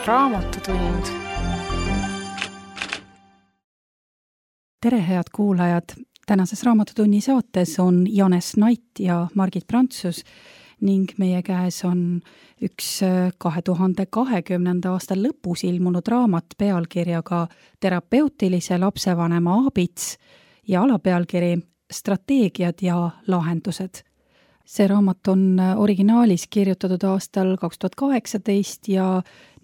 Raamatutund. Tere, head kuulajad! Tänases Raamatutunni saates on Janes Nait ja Margit Prantsus ning meie käes on üks 2020. aasta lõpus ilmunud raamat pealkirjaga Terapeutilise lapsevanema aabits ja alapealkiri Strateegiad ja lahendused. See raamat on originaalis kirjutatud aastal 2018 ja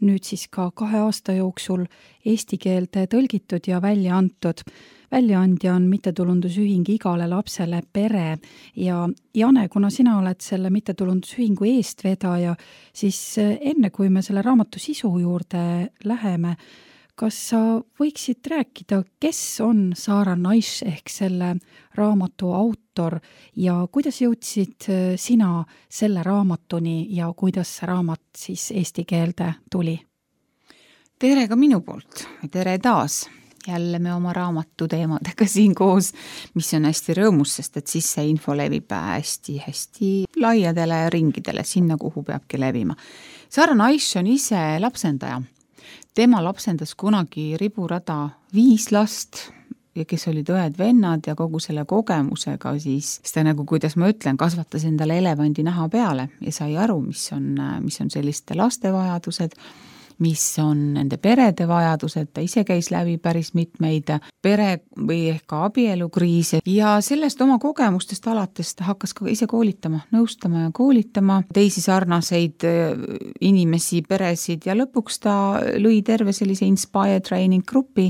nüüd siis ka 2 aasta jooksul eesti keelde tõlgitud ja välja antud. Väljaandja on mittetulundusühing Igale lapsele pere ja Jane, kuna sina oled selle mittetulundusühingu eestvedaja, siis enne kui me selle raamatu sisu juurde läheme, kas sa võiksid rääkida, kes on Sara Naish ehk selle raamatu autor ja kuidas jõudsid sina selle raamatuni ja kuidas see raamat siis eesti keelde tuli? Tere ka minu poolt, tere taas! Jälle me oma raamatu teemadega siin koos, mis on hästi rõõmus, sest et siis see info levib hästi laiadele ringidele, sinna kuhu peabki levima. Sara Naish on ise lapsendaja. Tema lapsendas kunagi riburada 5 last, ja kes olid õed-vennad ja kogu selle kogemusega siis ta nagu, kuidas ma ütlen, kasvatas endale elevandi naha peale ja sai aru, mis on selliste laste vajadused, mis on nende perede vajadused, ta ise käis läbi päris mitmeid pere- või ehk ka abielukriise ja sellest oma kogemustest alates ta hakkas ka ise koolitama, nõustama ja koolitama teisi sarnaseid inimesi, peresid ja lõpuks ta lõi terve sellise Inspire Training grupi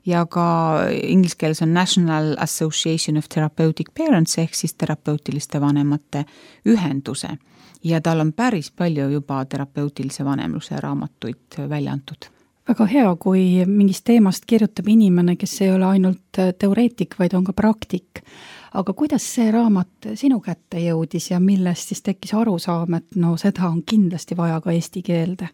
ja ka ingliskeeles on National Association of Therapeutic Parents ehk siis terapeutiliste vanemate ühenduse. Ja tal on päris palju juba terapeutilise vanemluse raamatuid välja antud. Väga hea, kui mingist teemast kirjutab inimene, kes ei ole ainult teoreetik, vaid on ka praktik. Aga kuidas see raamat sinu kätte jõudis ja millest siis tekkis arusaam, et seda on kindlasti vaja ka eesti keelde?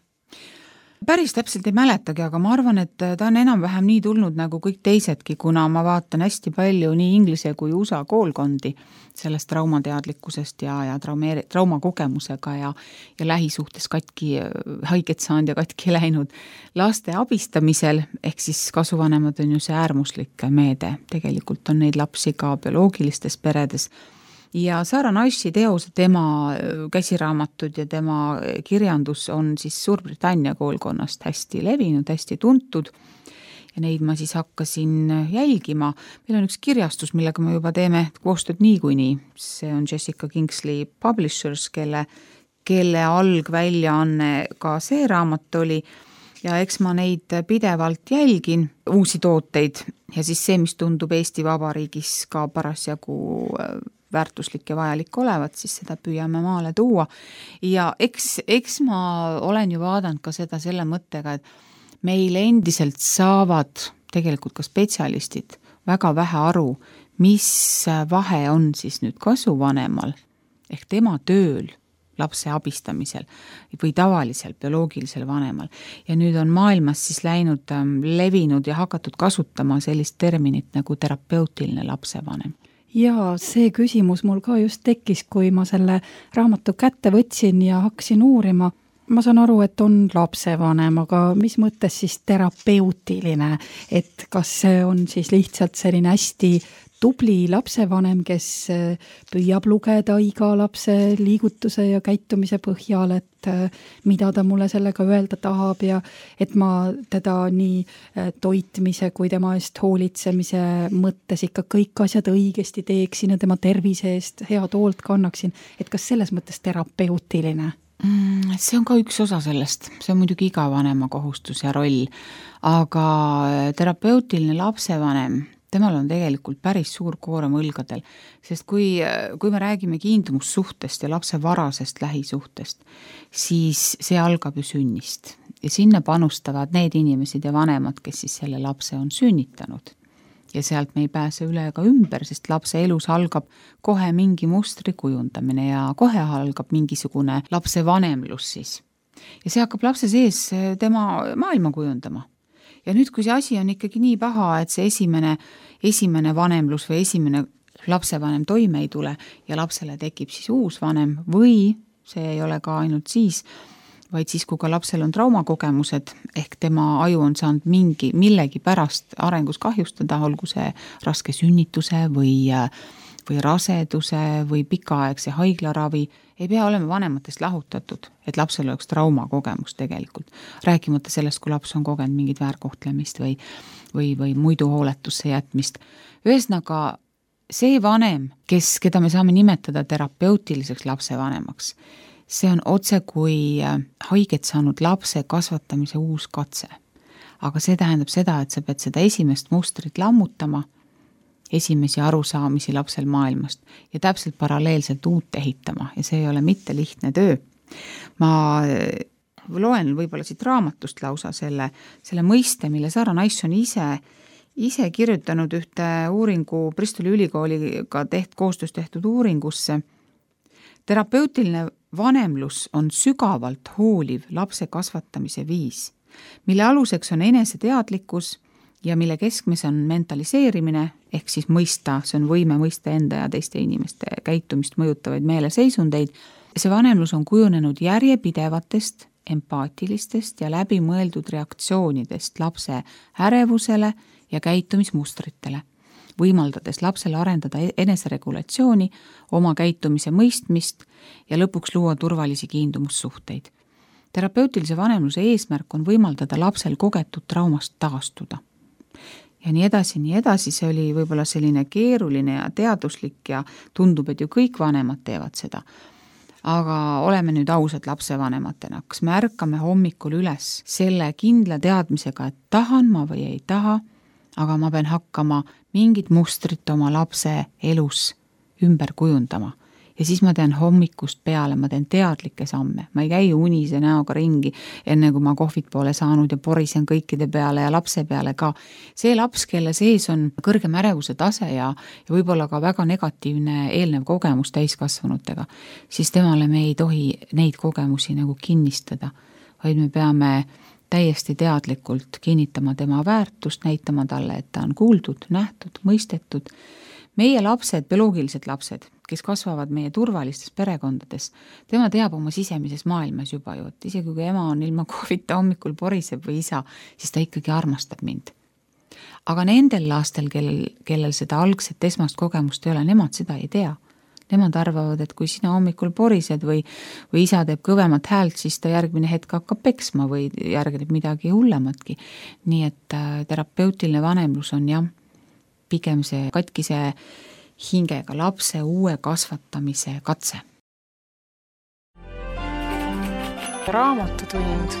Päris täpselt ei mäletagi, aga ma arvan, et ta on enam-vähem nii tulnud nagu kõik teisedki, kuna ma vaatan hästi palju nii inglise kui USA koolkondi sellest traumateadlikkusest ja traumakogemusega ja lähisuhtes katki haiget saanud ja katki läinud laste abistamisel, ehk siis kasuvanemad on ju see äärmuslik meede. Tegelikult on neid lapsi ka bioloogilistes peredes. Ja Sara Naishi teos, tema käsiraamatud ja tema kirjandus on siis Suurbritannia koolkonnast hästi levinud, hästi tuntud ja neid ma siis hakkasin jälgima. Meil on üks kirjastus, millega me juba teeme koostööd niikuinii. See on Jessica Kingsley Publishers, kelle algväljaanne ka see raamat oli ja eks ma neid pidevalt jälgin, uusi tooteid ja siis see, mis tundub Eesti Vabariigis ka parasjagu väärtuslik ja vajalik olevat, siis seda püüame maale tuua. Ja eks ma olen ju vaadanud ka seda selle mõttega, et meil endiselt saavad tegelikult ka spetsialistid väga vähe aru, mis vahe on siis nüüd kasuvanemal ehk tema tööl lapse abistamisel või tavalisel bioloogilisel vanemal. Ja nüüd on maailmas siis läinud levinud ja hakatud kasutama sellist terminit nagu terapeutiline lapsevanem. Ja see küsimus mul ka just tekkis, kui ma selle raamatu kätte võtsin ja hakkasin uurima. Ma saan aru, et on lapsevanem, aga mis mõttes siis terapeutiline, et kas see on siis lihtsalt selline hästi tubli lapsevanem, kes püüab lugeda iga lapse liigutuse ja käitumise põhjal, et mida ta mulle sellega öelda tahab ja et ma teda nii toitmise kui tema eest hoolitsemise mõttes ikka kõik asjad õigesti teeksin ja tema tervise eest head hoolt kannaksin. Et kas selles mõttes terapeutiline? See on ka üks osa sellest, see on muidugi iga vanema kohustus ja roll, aga terapeutiline lapsevanem, temal on tegelikult päris suur koorem õlgadel, sest kui me räägime kiindumussuhtest ja lapse varasest lähisuhtest, siis see algab ju sünnist ja sinna panustavad need inimesed ja vanemad, kes siis selle lapse on sünnitanud. Ja sealt me ei pääse üle ega ümber, sest lapse elus algab kohe mingi mustri kujundamine ja kohe algab mingisugune lapse vanemlus siis. Ja see hakkab lapse sees tema maailma kujundama. Ja nüüd, kui see asi on ikkagi nii paha, et see esimene vanemlus või esimene lapsevanem toime ei tule ja lapsele tekib siis uus vanem või see ei ole ka ainult siis, vaid siis, kui ka lapsel on traumakogemused, ehk tema aju on saanud millegi pärast arengus kahjustada, olgu see raske sünnituse või raseduse või pikaaegse haiglaravi, ei pea olema vanematest lahutatud, et lapsel oleks traumakogemus tegelikult. Rääkimata sellest, kui laps on kogenud mingit väärkohtlemist või muidu hooletusse jätmist. Ühesõnaga, see vanem, keda me saame nimetada terapeutiliseks lapsevanemaks, see on otse kui haiget saanud lapse kasvatamise uus katse. Aga see tähendab seda, et sa pead seda esimest mustrit lammutama, esimesi arusaamisi lapsel maailmast ja täpselt paralleelselt uut ehitama ja see ei ole mitte lihtne töö. Ma loen võib-olla siit raamatust lausa selle mõiste, mille Sara Nice on ise kirjutanud ühte uuringu Bristoli ülikooliga koostöös tehtud uuringusse. Terapeutiline vanemlus on sügavalt hooliv lapse kasvatamise viis, mille aluseks on eneseteadlikkus ja mille keskmes on mentaliseerimine, ehk siis mõista, see on võime mõista enda ja teiste inimeste käitumist mõjutavaid meeleseisundeid. See vanemlus on kujunenud järjepidevatest, empaatilistest ja läbimõeldud reaktsioonidest lapse ärevusele ja käitumismustritele, võimaldades lapsele arendada eneseregulatsiooni, oma käitumise mõistmist ja lõpuks luua turvalisi kiindumussuhteid. Terapeutilise vanemluse eesmärk on võimaldada lapsel kogetud traumast taastuda. Ja nii edasi, see oli võib-olla selline keeruline ja teaduslik ja tundub, et ju kõik vanemad teevad seda. Aga oleme nüüd ausad lapsevanematena, kas me ärkame hommikul üles selle kindla teadmisega, et tahan ma või ei taha, aga ma pean hakkama mingit mustrit oma lapse elus ümber kujundama. Ja siis ma teen hommikust peale, ma teen teadlikke samme. Ma ei käi unise näoga ringi, enne kui ma kohvit poole saanud ja porisen kõikide peale ja lapse peale ka. See laps, kelle sees on kõrgem ärevuse tase ja võib-olla ka väga negatiivne eelnev kogemus täiskasvanutega, siis temale me ei tohi neid kogemusi nagu kinnistada, vaid me peame täiesti teadlikult kinnitama tema väärtust, näitama talle, et ta on kuuldud, nähtud, mõistetud. Meie lapsed, bioloogilised lapsed, kes kasvavad meie turvalistes perekondades, tema teab oma sisemises maailmas juba ju, et isegi kui ema on ilma kohvita hommikul poriseb või isa, siis ta ikkagi armastab mind. Aga nendel lastel, kellel seda algset esmast kogemust ei ole, nemad seda ei tea. Nemad arvavad, et kui sina hommikul porised või isa teeb kõvemat häält, siis ta järgmine hetk hakkab peksma või järgneb midagi hullematki. Nii et terapeutiline vanemlus on pigem see katkise hingega lapse uue kasvatamise katse. Raamatutund.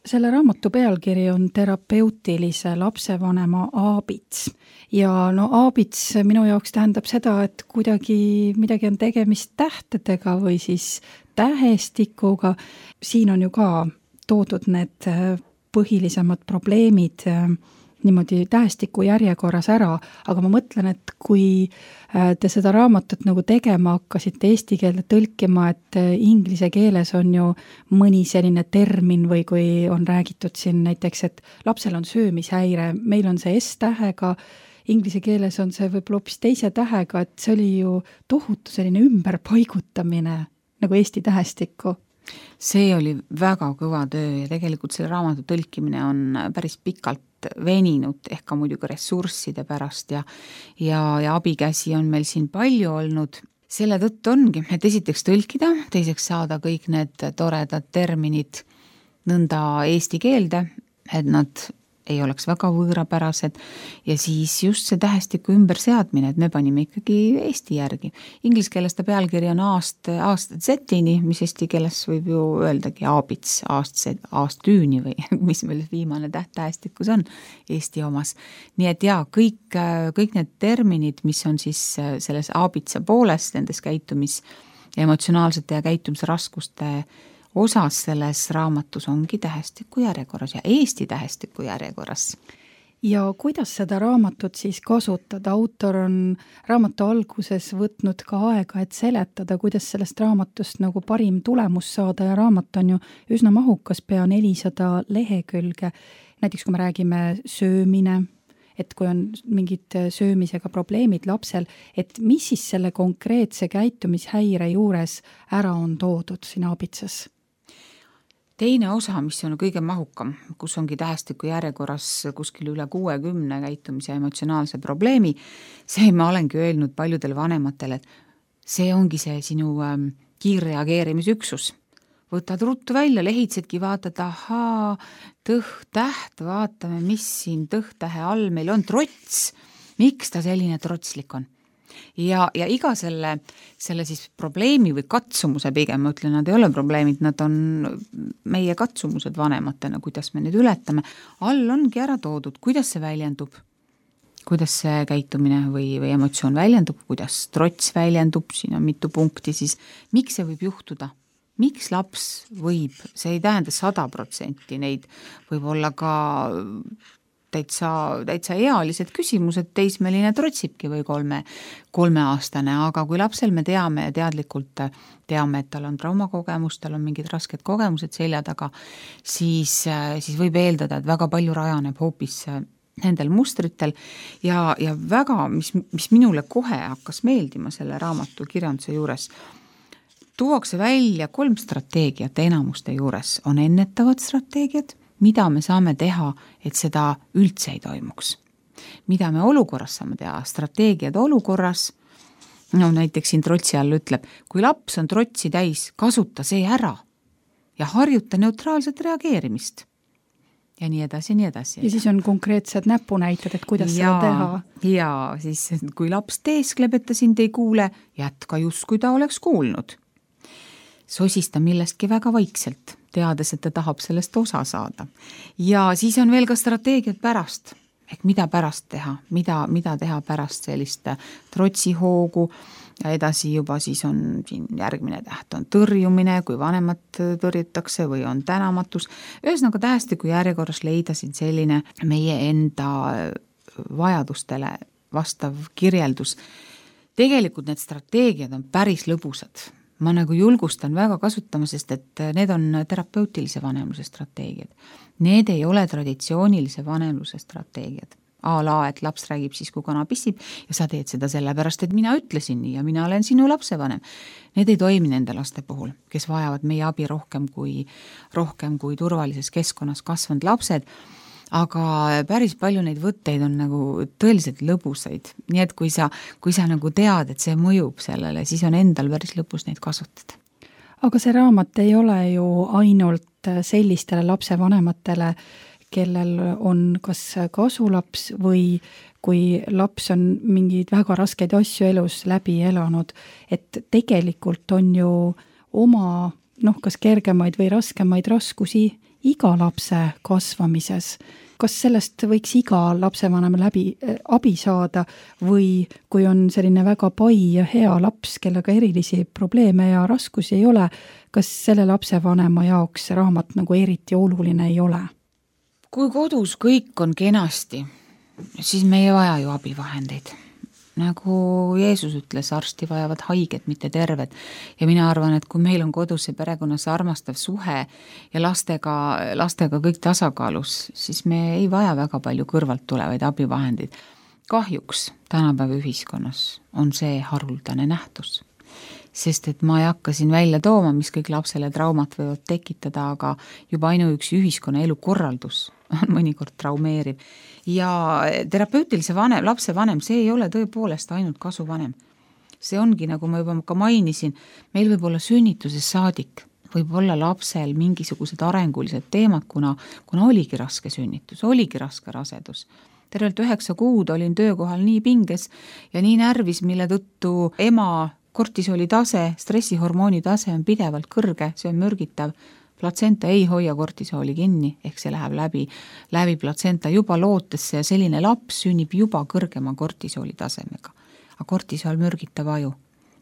Selle raamatu pealkiri on terapeutilise lapsevanema aabits. Ja aabits minu jaoks tähendab seda, et midagi on tegemist tähtedega või siis tähestikuga. Siin on ju ka toodud need põhilisemad probleemid niimoodi tähestiku järjekorras ära, aga ma mõtlen, et kui te seda raamatut nagu tegema hakkasite eesti keelde tõlkima, et inglise keeles on ju mõni selline termin või kui on räägitud siin näiteks, et lapsel on söömishäire, meil on see S-tähega, inglise keeles on see võib-olla hoopis teise tähega, et see oli ju tohutu selline ümberpaigutamine nagu eesti tähestikku. See oli väga kõva töö ja tegelikult selle raamatu tõlkimine on päris pikalt veninud, ehk ka muidugi ressursside pärast ja abikäsi on meil siin palju olnud. Selle tõttu ongi, et esiteks tõlkida, teiseks saada kõik need toredad terminid nõnda eesti keelde, et nad ei oleks väga võõrapärased ja siis just see tähestiku ümberseadmine, et me panime ikkagi eesti järgi. Inglise keeles ta pealkiri on aastatzetini, mis eesti keeles võib ju öeldagi aabits, aasttüüni või mis meil viimane tähestikus on eesti omas. Nii et kõik need terminid, mis on siis selles aabitsa poolest, nendes emotsionaalsete ja käitumisraskuste osas selles raamatus ongi tähestiku järjekorras ja eesti tähestiku järjekorras. Ja kuidas seda raamatut siis kasutada? Autor on raamatu alguses võtnud ka aega, et seletada, kuidas sellest raamatust nagu parim tulemus saada ja raamat on ju üsna mahukas, pea 400 lehekülge. Näiteks kui me räägime söömine, et kui on mingid söömisega probleemid lapsel, et mis siis selle konkreetse käitumishäire juures ära on toodud siin aabitsas? Teine osa, mis on kõige mahukam, kus ongi tähestiku järjekorras kuskil üle 60 käitumise ja emotsionaalse probleemi, see ma olengi öelnud paljudele vanematele, et see ongi see sinu kiirreageerimisüksus. Võtad ruttu välja, lehitsedki, vaatad, ahaa, tõht-täht, vaatame, mis siin tõht-tähe all meil on, trots, miks ta selline trotslik on. Ja iga selle siis probleemi või katsumuse pigem, ma ütlen, nad ei ole probleemid, nad on meie katsumused vanematena, kuidas me need ületame. All ongi ära toodud, kuidas see väljendub, kuidas see käitumine või emotsioon väljendub, kuidas trots väljendub, siin on mitu punkti, siis miks see võib juhtuda? Miks laps võib, see ei tähenda 100%, neid võib olla ka täitsa ealised küsimused, teismeline trotsibki või kolmeaastane, aga kui lapsel me teame ja teadlikult teame, et tal on traumakogemus, tal on mingid rasked kogemused selja taga, siis võib eeldada, et väga palju rajaneb hoopis nendel mustritel ja väga, mis minule kohe hakkas meeldima selle raamatu kirjanduse juures, tuuakse välja 3 strateegiat enamuste juures, on ennetavad strateegiad, mida me saame teha, et seda üldse ei toimuks. Mida me olukorras saame teha? Strateegiad olukorras, no näiteks siin trotsi all ütleb, kui laps on trotsi täis, kasuta see ära ja harjuta neutraalset reageerimist. Ja nii edasi, nii edasi. Ja siis on konkreetsed näpunäited, et kuidas seda teha. Ja siis, kui laps teeskleb, et ta sind ei kuule, jätka just, kui ta oleks kuulnud. Sosista millestki väga vaikselt, teades, et ta tahab sellest osa saada. Ja siis on veel ka strateegiad pärast, ehk mida pärast teha, mida teha pärast sellist trotsihoogu ja edasi juba siis on siin järgmine täht, on tõrjumine, kui vanemat tõrjutakse või on tänamatus. Ühesõnaga tähestiku järjekorras leida siin selline meie enda vajadustele vastav kirjeldus. Tegelikult need strateegiad on päris lõbusad. Ma nagu julgustan väga kasutama, sest et need on terapeutilise vanemluse strateegiad. Need ei ole traditsioonilise vanemluse strateegiad. Et laps räägib siis, kui kana pissib ja sa teed seda sellepärast, et mina ütlesin nii ja mina olen sinu lapsevanem. Need ei toimi nende laste puhul, kes vajavad meie abi rohkem kui turvalises keskkonnas kasvanud lapsed. Aga päris palju neid võtteid on nagu tõeliselt lõbusaid. Nii et kui sa nagu tead, et see mõjub sellele, siis on endal päris lõbus neid kasutada. Aga see raamat ei ole ju ainult sellistele lapsevanematele, kellel on kas kasulaps või kui laps on mingeid väga raskeid asju elus läbi elanud, et tegelikult on ju oma, kas kergemaid või raskemaid raskusi iga lapse kasvamises. Kas sellest võiks iga lapsevanem abi saada või kui on selline väga pai ja hea laps, kellega erilisi probleeme ja raskusi ei ole, kas selle lapsevanema jaoks see raamat nagu eriti oluline ei ole? Kui kodus kõik on kenasti, siis me ei vaja ju abivahendeid. Nagu Jeesus ütles, arsti vajavad haiget, mitte terved. Ja mina arvan, et kui meil on kodus see perekonnas armastav suhe ja lastega kõik tasakaalus, siis me ei vaja väga palju kõrvalt tulevaid abivahendeid. Kahjuks tänapäeva ühiskonnas on see haruldane nähtus. Sest et ma ei hakka siin välja tooma, mis kõik lapsele traumat võivad tekitada, aga juba ainuüksi ühiskonna elukorraldus on mõnikord traumeeriv. Ja terapeutilise lapsevanem, see ei ole tõepoolest ainult kasuvanem. See ongi, nagu ma juba ka mainisin, meil võib olla sünnituses saadik, võib olla lapsel mingisugused arengulised teemad, kuna oligi raske sünnitus, oligi raske rasedus. Tervelt 9 kuud olin töökohal nii pinges ja nii närvis, mille tõttu ema kortisoli tase, stressihormooni tase on pidevalt kõrge, see on mürgitav. Platsenta ei hoia kortisooli kinni, ehk see läheb läbi platsenta juba lootesse ja selline laps sünnib juba kõrgema kortisooli tasemega. Aga kortisool mürgitab aju,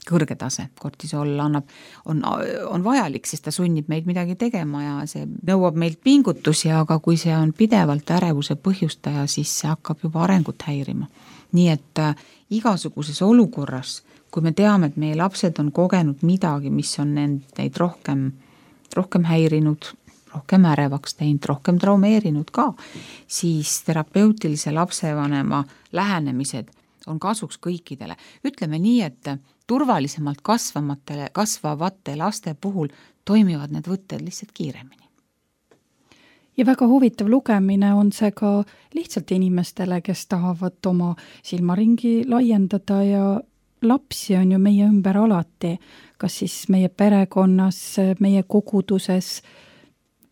kõrge tase. Kortisool on vajalik, sest ta sunnib meid midagi tegema ja see nõuab meilt pingutusi, aga kui see on pidevalt ärevuse põhjustaja, siis see hakkab juba arengut häirima. Nii et igasuguses olukorras, kui me teame, et meie lapsed on kogenud midagi, mis on neid rohkem häirinud, rohkem ärevaks teinud, rohkem traumeerinud ka, siis terapeutilise lapsevanema lähenemised on kasuks kõikidele. Ütleme nii, et turvalisemalt kasvavate laste puhul toimivad need võtted lihtsalt kiiremini. Ja väga huvitav lugemine on see ka lihtsalt inimestele, kes tahavad oma silmaringi laiendada ja lapsi on ju meie ümber alati, kas siis meie perekonnas, meie koguduses,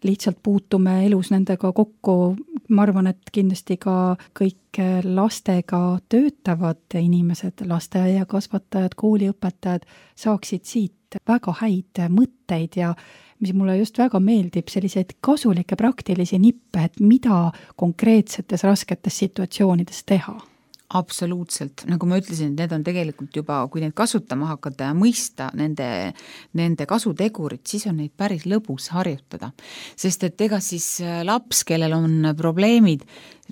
lihtsalt puutume elus nendega kokku. Ma arvan, et kindlasti ka kõik lastega töötavad inimesed, lasteaiakasvatajad, kooliõpetajad saaksid siit väga häid mõtteid ja mis mulle just väga meeldib, selliseid kasulikke praktilisi nippe, et mida konkreetsetes rasketes situatsioonides teha. Absoluutselt, nagu ma ütlesin, need on tegelikult juba, kui neid kasutama hakata ja mõista nende kasutegurit, siis on neid päris lõbus harjutada. Sest et ega siis laps, kellel on probleemid,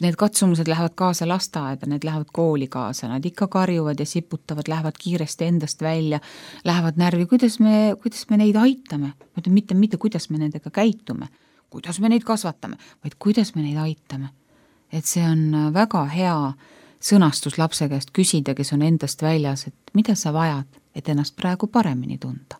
need katsumused lähevad kaasa lasteaeda, need lähevad kooli kaasa, nad ikka karjuvad ja siputavad, lähevad kiiresti endast välja, lähevad närvi, kuidas me neid aitame, mitte kuidas me nendega käitume, kuidas me neid kasvatame, vaid kuidas me neid aitame. Et see on väga hea sõnastus lapse käest küsida, kes on endast väljas, et mida sa vajad, et ennast praegu paremini tunda.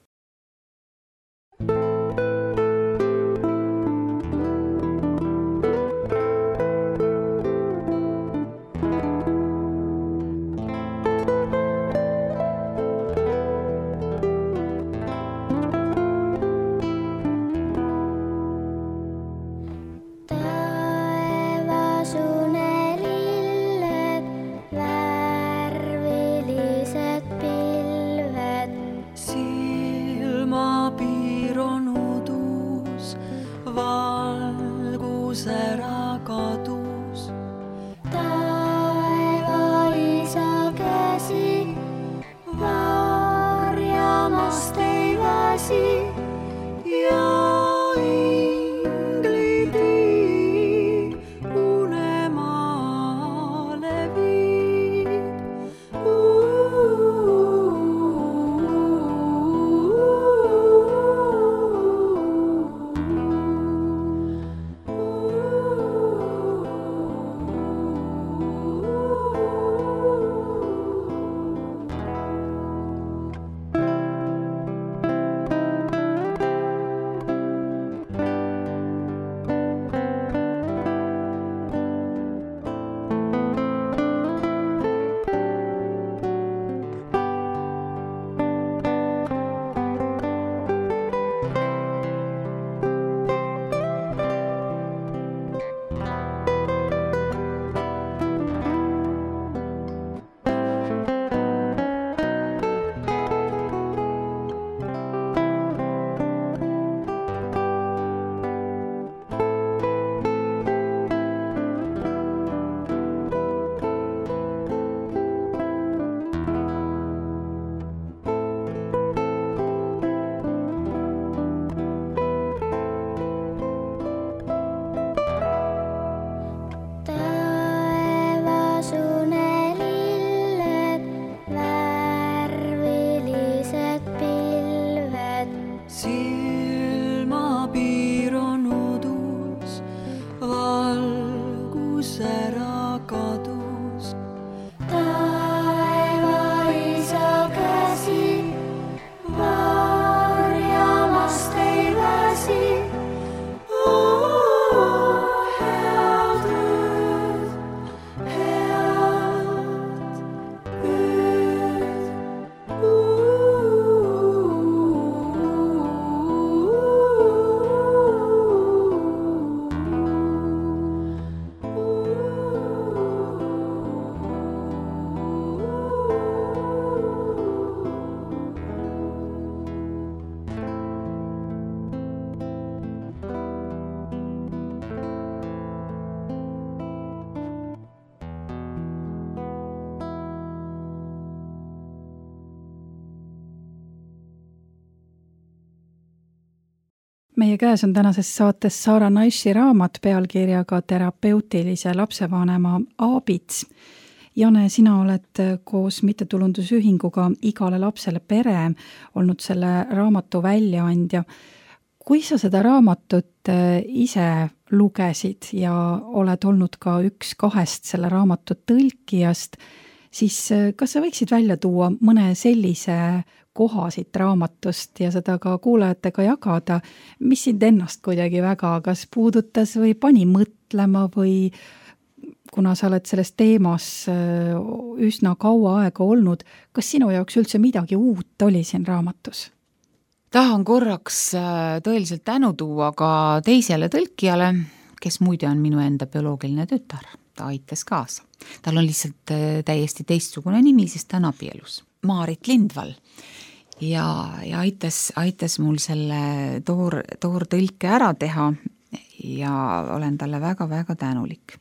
Meie käes on tänases saates Sara Naishi raamat pealkirjaga Terapeutilise lapsevanema aabits. Jane, sina oled koos mittetulundusühinguga Igale lapsele pere olnud selle raamatu väljaandja. kui sa seda raamatut ise lugesid ja oled olnud ka üks 2 selle raamatu tõlkijast, siis kas sa võiksid välja tuua mõne sellise koha siit raamatust ja seda ka kuulajatega jagada, mis sind ennast kuidagi väga kas puudutas või pani mõtlema või kuna sa oled selles teemas üsna kaua aega olnud, kas sinu jaoks üldse midagi uut oli siin raamatus? Tahan korraks tõeliselt tänu tuua ka teisele tõlkijale, kes muide on minu enda bioloogiline tütar. Ta aitas kaasa. Tal on lihtsalt täiesti teistsugune nimi, sest ta on abielus. Maarit Lindvall. Ja aitas mul selle toortõlke ära teha ja olen talle väga-väga tänulik.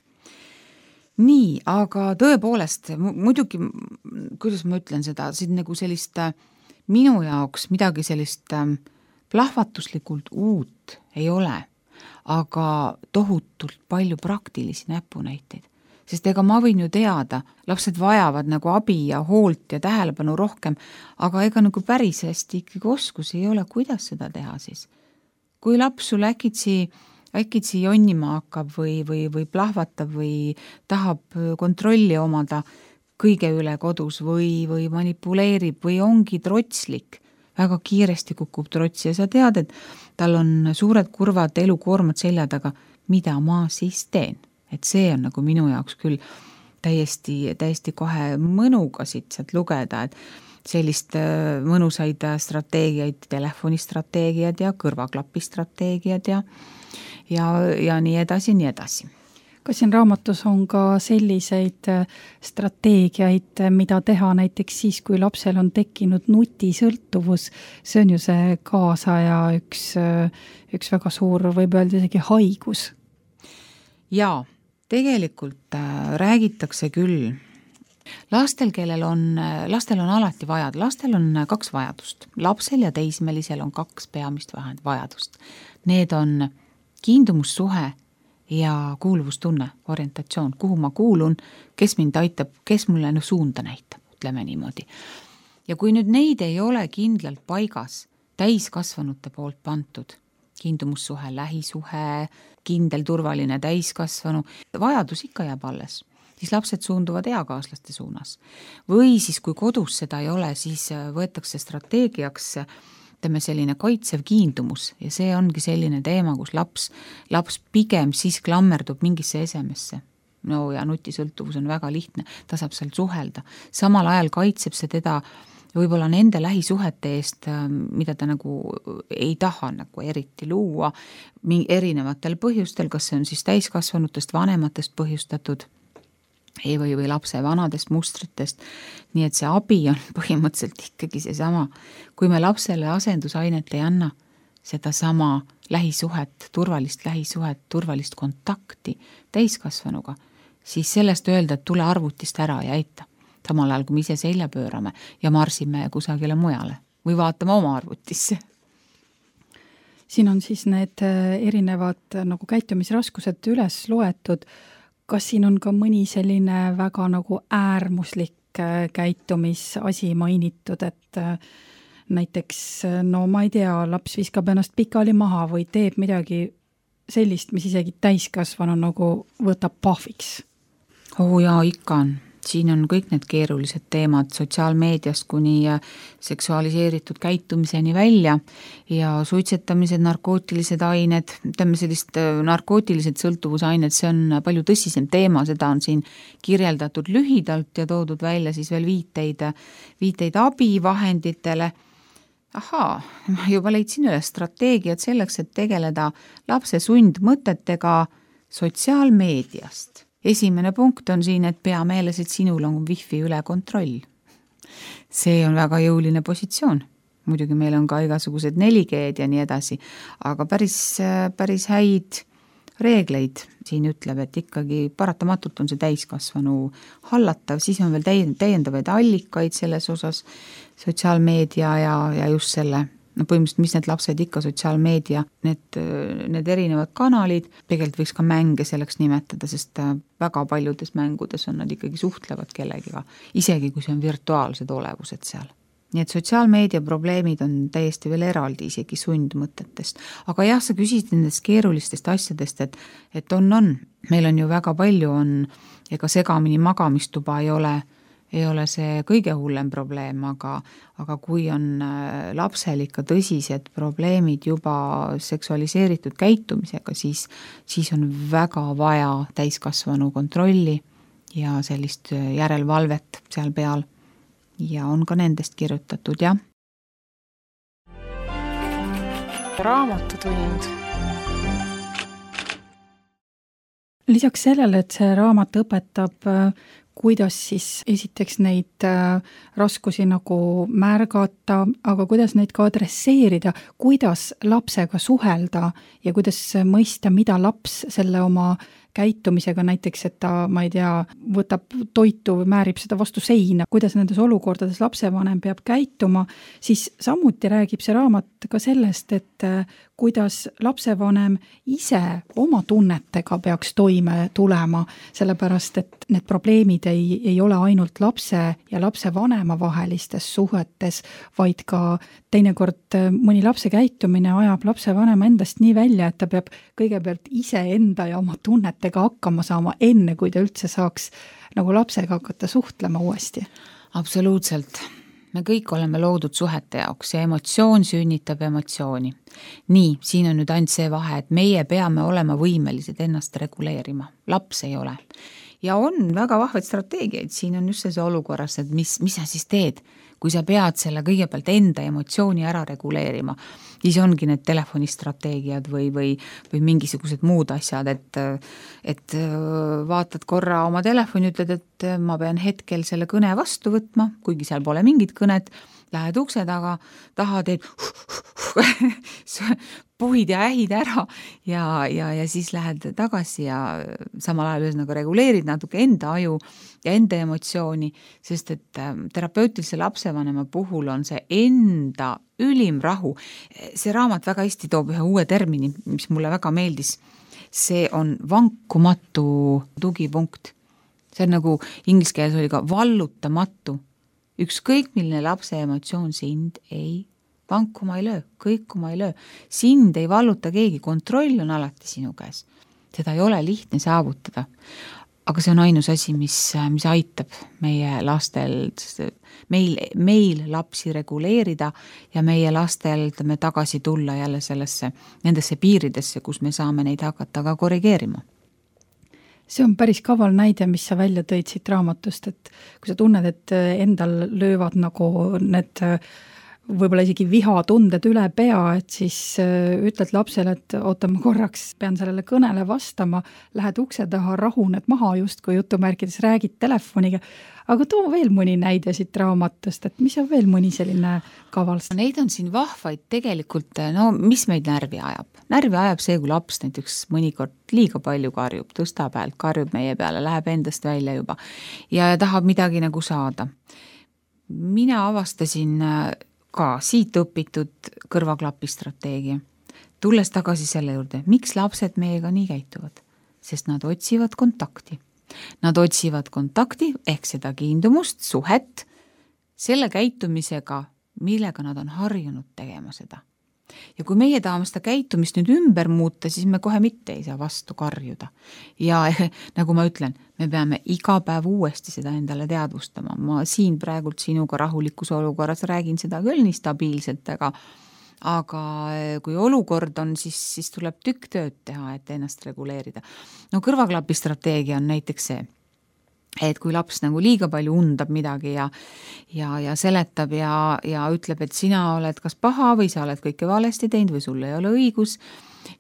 Nii, aga tõepoolest, muidugi, kuidas ma ütlen seda, siin nagu sellist minu jaoks midagi sellist plahvatuslikult uut ei ole, aga tohutult palju praktilisi näpunäiteid. Sest ega ma võin ju teada, lapsed vajavad nagu abi ja hoolt ja tähelepanu rohkem, aga ega nagu päris hästi ikkagi oskusi ei ole, kuidas seda teha siis. Kui laps sul äkitsi jonnima hakkab või plahvatab või tahab kontrolli omada kõige üle kodus või manipuleerib või ongi trotslik, väga kiiresti kukub trotsi ja sa tead, et tal on suured kurvad elukoormad selja taga, mida ma siis teen. Et see on nagu minu jaoks küll täiesti kohe mõnuga siit sealt lugeda, et sellist mõnusaid strateegiaid, telefonistrateegiad ja kõrvaklapistrateegiad ja nii edasi. Kas siin raamatus on ka selliseid strateegiaid, mida teha näiteks siis, kui lapsel on tekkinud nutisõltuvus? See on ju see kaasaja üks väga suur, võib öelda isegi haigus. Jaa, tegelikult räägitakse küll. Lastel on alati vajad. Lastel on 2 vajadust. Lapsel ja teismelisel on 2 peamist vajadust. Need on kiindumussuhe ja kuuluvustunne, orientatsioon, kuhu ma kuulun, kes mind aitab, kes mulle suunda näitab, ütleme niimoodi. Ja kui nüüd neid ei ole kindlalt paigas, täiskasvanute poolt pantud, kiindumussuhe, lähisuhe, kindel, turvaline täiskasvanu, vajadus ikka jääb alles, siis lapsed suunduvad eakaaslaste suunas. Või siis, kui kodus seda ei ole, siis võetakse strateegiaks selline kaitsev kiindumus ja see ongi selline teema, kus laps pigem siis klammerdub mingisse esemesse. No ja nutisõltuvus on väga lihtne, ta saab seal suhelda. Samal ajal kaitseb see teda võib-olla nende lähisuhete eest, mida ta nagu ei taha nagu eriti luua erinevatel põhjustel, kas see on siis täiskasvanutest, vanematest põhjustatud või lapse vanadest mustritest. Nii et see abi on põhimõtteliselt ikkagi seesama. Kui me lapsele asendusainet ei anna, seda sama lähisuhet, turvalist kontakti täiskasvanuga, siis sellest öelda, et tule arvutist ära ja aita. Samal ajal, kui me ise selja pöörame ja marsime kusagile mujale või vaatame oma arvutisse. Siin on siis need erinevad nagu käitumisraskused üles loetud. Kas siin on ka mõni selline väga nagu äärmuslik käitumisasi mainitud, et näiteks, no ma ei tea, laps viskab ennast pikali maha või teeb midagi sellist, mis isegi täiskasvanu nagu võtab pahviks? Jaa, ikka on. Siin on kõik need keerulised teemad sotsiaalmeediast kuni seksualiseeritud käitumiseni välja ja suitsetamised, narkootilised ained, narkootilised sõltuvusained, see on palju tõsisem teema, seda on siin kirjeldatud lühidalt ja toodud välja siis veel viiteid abivahenditele. Ma juba leidsin üles strateegiad selleks, et tegeleda lapse sundmõtetega sotsiaalmeediast. Esimene punkt on siin, et pea meeles, et sinul on wifi üle kontroll. See on väga jõuline positsioon. Muidugi meil on ka igasugused 4G-d ja nii edasi, aga päris häid reegleid siin ütleb, et ikkagi paratamatult on see täiskasvanu hallatav, siis on veel täiendavaid allikaid selles osas, sotsiaalmeedia ja just selle, põhimõtteliselt, mis need lapsed ikka sotsiaalmeedia, need erinevad kanalid, tegelikult võiks ka mänge selleks nimetada, sest väga paljudes mängudes on nad ikkagi suhtlevad kellegiga, isegi kui see on virtuaalsed olevused seal. nii et sotsiaalmeedia probleemid on täiesti veel eraldi isegi sundmõtetest. Aga jah, sa küsisid nendest keerulistest asjadest, et on. Meil on ju väga palju ega segamini magamistuba ei ole see kõige hullem probleem, aga kui on lapsel ikka tõsised probleemid juba seksualiseeritud käitumisega, siis on väga vaja täiskasvanu kontrolli ja sellist järelevalvet seal peal. Ja on ka nendest kirjutatud, jah. Raamatutund. Lisaks sellele, et see raamat õpetab, kuidas siis esiteks neid raskusi nagu märgata, aga kuidas neid ka adresseerida, kuidas lapsega suhelda ja kuidas mõista, mida laps selle oma käitumisega, näiteks, et ta, ma ei tea, võtab toitu või määrib seda vastu seina, kuidas nendes olukordades lapsevanem peab käituma, siis samuti räägib see raamat ka sellest, et kuidas lapsevanem ise oma tunnetega peaks toime tulema, sellepärast, et need probleemid ei ole ainult lapse ja lapsevanema vahelistes suhetes, vaid ka teinekord mõni lapse käitumine ajab lapsevanema endast nii välja, et ta peab kõigepealt ise enda ja oma tunnetega hakkama saama enne, kui ta üldse saaks nagu lapsega hakata suhtlema uuesti. Absoluutselt. Me kõik oleme loodud suhete jaoks ja emotsioon sünnitab emotsiooni. Nii, siin on nüüd ainult see vahe, et meie peame olema võimelised ennast reguleerima. Laps ei ole. Ja on väga vahvaid strateegiaid. Siin on just see olukorras, et mis sa siis teed, kui sa pead selle kõigepealt enda emotsiooni ära reguleerima. Siis ongi need telefonistrateegiad või mingisugused muud asjad, et vaatad korra oma telefoni, ütled, et ma pean hetkel selle kõne vastu võtma, kuigi seal pole mingit kõnet, lähed ukse taga, taha teed puhid ja ähid ära ja siis lähed tagasi ja samal ajal ühesõnaga reguleerid natuke enda aju ja enda emotsiooni, sest et terapeutilise lapsevanema puhul on see enda ülim rahu. See raamat väga hästi toob ühe uue termini, mis mulle väga meeldis. See on vankumatu tugipunkt. See on nagu inglise keeles oli ka vallutamatu. Ükskõik milline lapse emotsioon sind ei vankuma ei löö, kõikuma ei löö. Sind ei valluta keegi, kontroll on alati sinu käes. Seda ei ole lihtne saavutada. Aga see on ainus asi, mis aitab meie lastel, meil lapsi reguleerida ja meie lastel tagasi tulla jälle nendesse piiridesse, kus me saame neid hakata ka korrigeerima. See on päris kaval näide, mis sa välja tõid siit raamatust, et kui sa tunned, et endal löövad nagu need võib-olla isegi vihatunded üle pea, et siis ütled lapsele, et oota, ma korraks pean sellele kõnele vastama, lähed ukse taha, rahuned maha just, kui jutumärkides räägid telefoniga. Aga too veel mõni näide siit raamatust, et mis on veel mõni selline kaval? Neid on siin vahvaid tegelikult, mis meid närvi ajab? Närvi ajab see, kui laps näiteks mõnikord liiga palju karjub, tõstab häält, karjub meie peale, läheb endast välja juba ja tahab midagi nagu saada. Mina avastasin ka siit õpitud kõrvaklapistrateegia. Tulles tagasi selle juurde, miks lapsed meiega nii käituvad? Sest nad otsivad kontakti. Nad otsivad kontakti ehk seda kiindumust, suhet, selle käitumisega, millega nad on harjunud tegema seda. Ja kui meie tahame seda käitumist nüüd ümber muuta, siis me kohe mitte ei saa vastu karjuda. Ja nagu ma ütlen, me peame iga päev uuesti seda endale teadvustama. Ma siin praegult sinuga rahulikus olukorras räägin seda küll nii stabiilselt, aga kui olukord on, siis tuleb tükk tööd teha, et ennast reguleerida. Kõrvaklapistrateegia on näiteks see, et kui laps nagu liiga palju undab midagi ja seletab ja ütleb, et sina oled kas paha või sa oled kõike valesti teinud või sul ei ole õigus,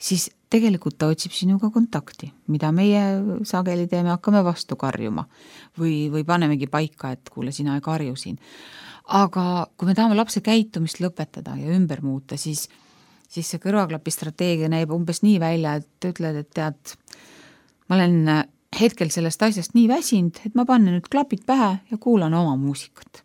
siis tegelikult ta otsib sinuga kontakti, mida meie sageli teeme, hakkame vastu karjuma või panemegi paika, et kuule, sina ei karju siin. Aga kui me tahame lapse käitumist lõpetada ja ümber muuta, siis see kõrvaklapistrateegia näib umbes nii välja, et ütled, et tead, ma olen hetkel sellest asjast nii väsinud, et ma panen nüüd klapid pähe ja kuulan oma muusikat.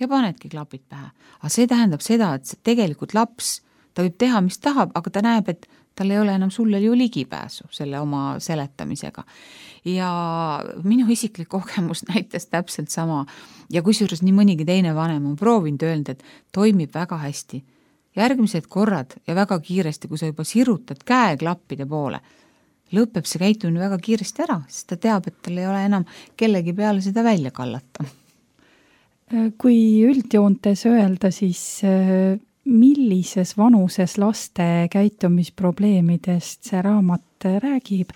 Ja panedki klapid pähe. Aga see tähendab seda, et tegelikult laps, ta võib teha, mis tahab, aga ta näeb, et tal ei ole enam sulle ju ligipääsu selle oma seletamisega. Ja minu isiklik kogemus näitas täpselt sama ja kusjuures nii mõnigi teine vanem on proovinud öelda, et toimib väga hästi. Järgmised korrad ja väga kiiresti, kui sa juba sirutad käe klappide poole, lõpeb see käitumine väga kiiresti ära, sest ta teab, et tal ei ole enam kellegi peale seda välja kallata. Kui üldjoontes öelda, siis millises vanuses laste käitumisprobleemidest see raamat räägib?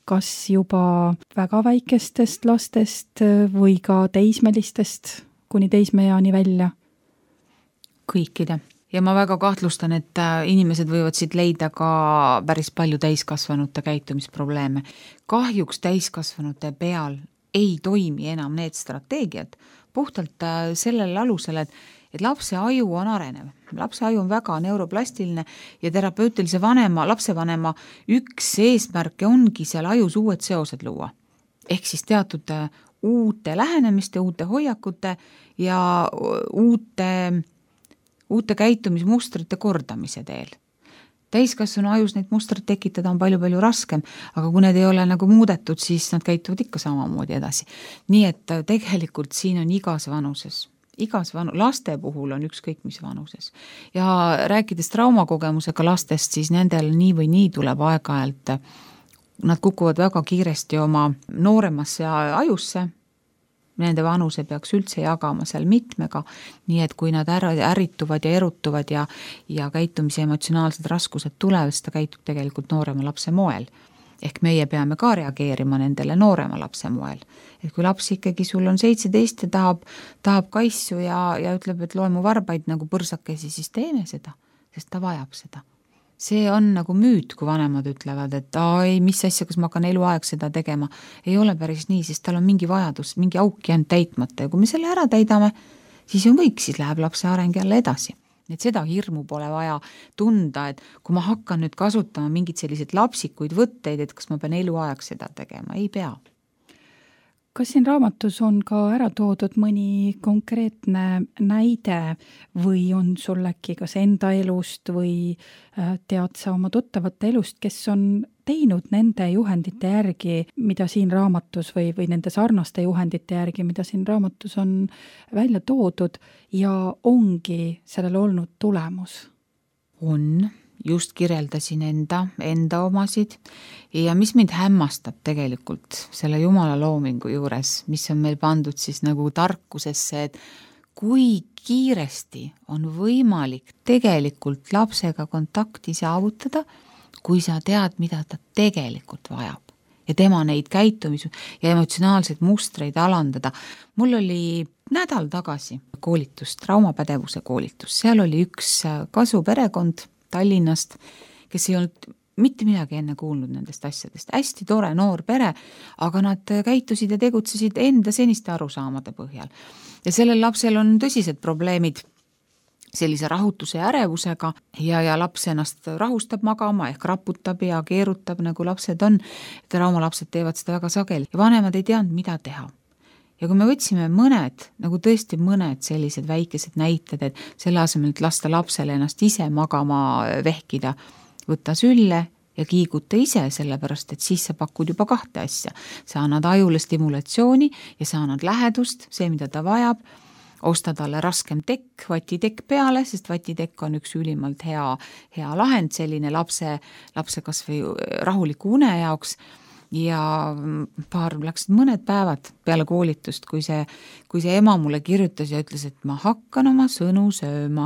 Kas juba väga väikestest lastest või ka teismelistest kuni teismeeani välja? Kõikide. Ja ma väga kahtlustan, et inimesed võivad siit leida ka päris palju täiskasvanute käitumisprobleeme. Kahjuks täiskasvanute peal ei toimi enam need strateegiad puhtalt sellel alusel, et lapse aju on arenev. Lapse aju on väga neuroplastiline ja terapeutilise lapsevanema üks eesmärke ongi seal ajus uued seosed luua. Ehk siis teatud uute lähenemiste, uute hoiakute ja uute käitumismustrite kordamise teel. Täiskasvanu ajus neid mustreid tekitada on palju raskem, aga kui need ei ole nagu muudetud, siis nad käituvad ikka samamoodi edasi. Nii et tegelikult siin on igas vanuses. Laste puhul on ükskõik mis vanuses. Ja rääkides traumakogemusega lastest, siis nendel nii või nii tuleb aeg-ajalt, nad kukuvad väga kiiresti oma nooremasse ajusse, nende vanuse peaks üldse jagama seal mitmega, nii et kui nad ärrituvad ja erutuvad ja käitumise emotsionaalsed raskused tulevad, siis ta käitub tegelikult noorema lapse moel. Ehk meie peame ka reageerima nendele noorema lapse moel. Et kui laps ikkagi sul on 17 ja tahab kaissu ja ütleb, et loe mu varbaid nagu põrsakesi, siis teeme seda, sest ta vajab seda. See on nagu müüt, kui vanemad ütlevad, et ei, mis asja, kas ma hakkan eluaeg seda tegema. Ei ole päris nii, sest tal on mingi vajadus, mingi auk jäänud täitmata ja kui me selle ära täidame, siis on kõik, siis läheb lapse areng jälle edasi. Et seda hirmu pole vaja tunda, et kui ma hakkan nüüd kasutama mingid sellised lapsikuid võtteid, et kas ma pean eluaeg seda tegema, ei pea. Kas siin raamatus on ka ära toodud mõni konkreetne näide või on sul äkki kas enda elust või tead sa oma tuttavate elust, kes on teinud nende juhendite järgi, mida siin raamatus või nende sarnaste juhendite järgi, mida siin raamatus on välja toodud ja ongi sellel olnud tulemus? On. Just kirjeldasin enda omasid ja mis mind hämmastab tegelikult selle Jumala loomingu juures, mis on meil pandud siis nagu tarkusesse, et kui kiiresti on võimalik tegelikult lapsega kontakti saavutada, kui sa tead, mida ta tegelikult vajab ja tema neid käitumis- ja emotsionaalseid mustreid alandada. Mul oli nädal tagasi koolitus, traumapädevuse koolitus, seal oli üks kasuperekond Tallinnast, kes ei olnud mitte midagi enne kuulnud nendest asjadest. Hästi tore noor pere, aga nad käitusid ja tegutsesid enda seniste arusaamade põhjal. Ja sellel lapsel on tõsised probleemid sellise rahutuse ja ärevusega ja laps ennast rahustab magama ehk raputab ja keerutab, nagu lapsed on. Traumalapsed teevad seda väga sageli ja vanemad ei teadnud, mida teha. Ja kui me võtsime nagu tõesti mõned sellised väikesed näited, et selle asemel, et lasta lapsele ennast ise magama vehkida, võtta sülle ja kiiguta ise, sellepärast, et siis sa pakud juba 2 asja. Sa annad ajule stimulatsiooni ja sa annad lähedust, see, mida ta vajab, osta talle raskem tekk, vatitekk peale, sest vatitekk on üks ülimalt hea lahend selline lapse kas või rahuliku une jaoks. Ja läksid mõned päevad peale koolitust, kui see ema mulle kirjutas ja ütles, et ma hakkan oma sõnu sööma,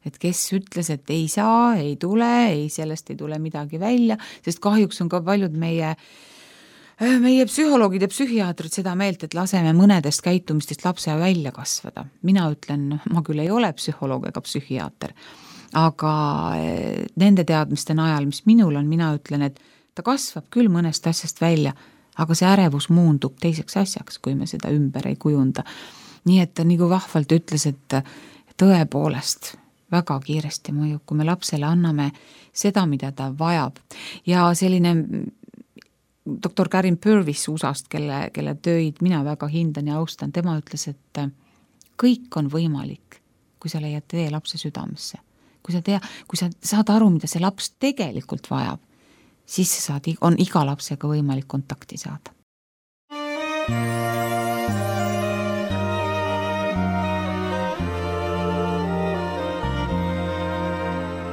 et kes ütles, et ei saa, ei tule, sellest ei tule midagi välja, sest kahjuks on ka paljud meie psühholoogid ja psühhiaatrid seda meelt, et laseme mõnedest käitumistest lapse välja kasvada. Mina ütlen, ma küll ei ole psühholoog ega psühhiaater, aga nende teadmiste najal, mis minul on, mina ütlen, et ta kasvab küll mõnest asjast välja, aga see ärevus muundub teiseks asjaks, kui me seda ümber ei kujunda. Nii et ta nagu vahvalt ütles, et tõepoolest väga kiiresti mõjub, kui me lapsele anname seda, mida ta vajab. Ja selline doktor Karin Purvis USA-st, kelle töid mina väga hindan ja austan, tema ütles, et kõik on võimalik, kui sa leiad tee lapse südamesse. Kui sa saad aru, mida see laps tegelikult vajab, siis on iga lapsega võimalik kontakti saada.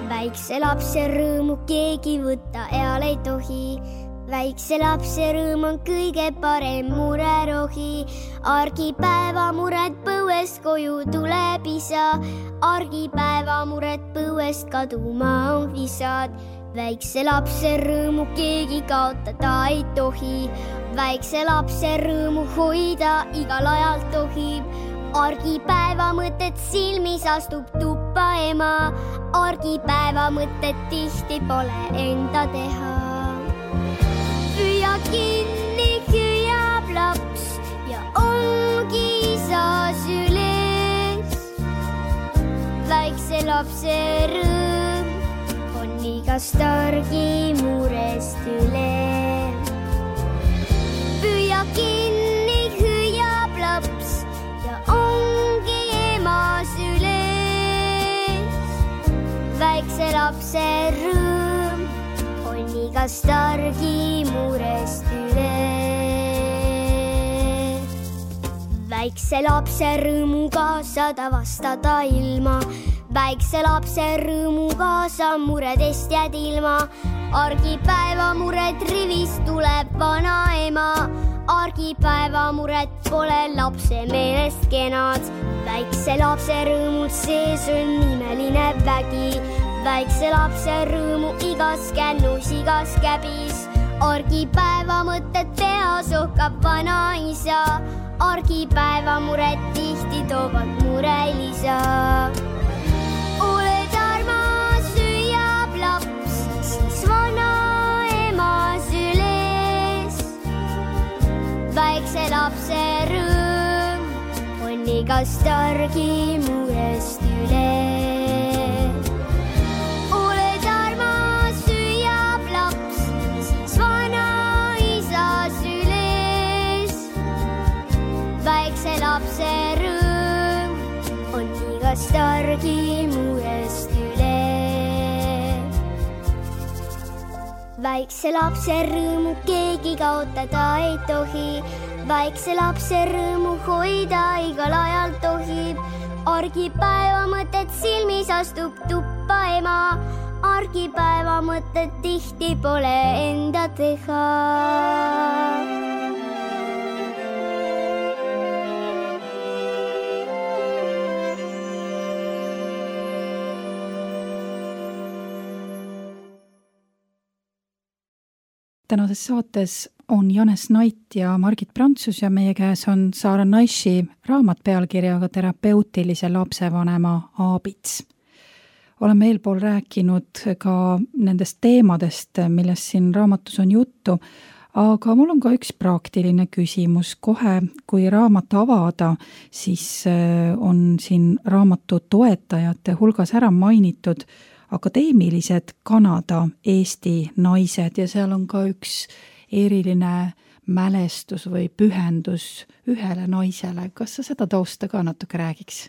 Väikse lapse rõõmu keegi võtta eal ei tohi. Väikse lapse rõõm on kõige parem murerohi. Argipäeva mured põuest koju tuleb isa. Argipäeva mured põuest kaduma on visad. Väikse lapse rõõmu keegi kaotada ei tohi. Väikse lapse rõõmu hoida igal ajal tohib. Argipäeva mõtet silmis astub tuppa ema. Argipäeva mõtet tihti pole enda teha. Püüa kinni hüüab laps ja ongi isa süles. Väikse lapse rõõm on igast argi murest üle. Püüa kinni hüüab laps ja ongi ema süles. Väikse lapse rõõm on igast argi murest üle. Väikse lapse rõõmuga saad avastada ilma. Väikse lapse rõõmuga sa muredest jääd ilma. Argipäeva mured rivist tuleb vana ema. Argipäeva mured pole lapse meelest kenad. Väikse lapse rõõmul sees on imeline vägi. Väikse lapse rõõmu igas kännus, igas käbis. Argipäeva mõtted peas ohkab vana isa. Argipäeva mured tihti toovad murelisa. Oled armas, hüüab laps, siis vana ema süles. Väikse lapse rõõm on igast argi murest üle. Oled armas, hüüab laps, siis vana isa süles. Väikse lapse rõõm on igast argi murest üle. Väikse lapse rõõmu keegi kaotada ei tohi. Väikse lapse rõõmu hoida igal ajal tohib. Argipäeva mõtet silmis astub tuppa ema. Argipäeva mõtet tihti pole enda teha. Tänases saates on Janes Nait ja Margit Prantsus ja meie käes on Sara Naishi raamat pealkirjaga Terapeutilise lapsevanema aabits. Oleme eelpool rääkinud ka nendest teemadest, millest siin raamatus on juttu, aga mul on ka üks praktiline küsimus. Kohe, kui raamat avada, siis on siin raamatu toetajate hulgas ära mainitud akadeemilised Kanada-Eesti naised ja seal on ka üks eriline mälestus või pühendus ühele naisele. Kas sa seda tausta ka natuke räägiks?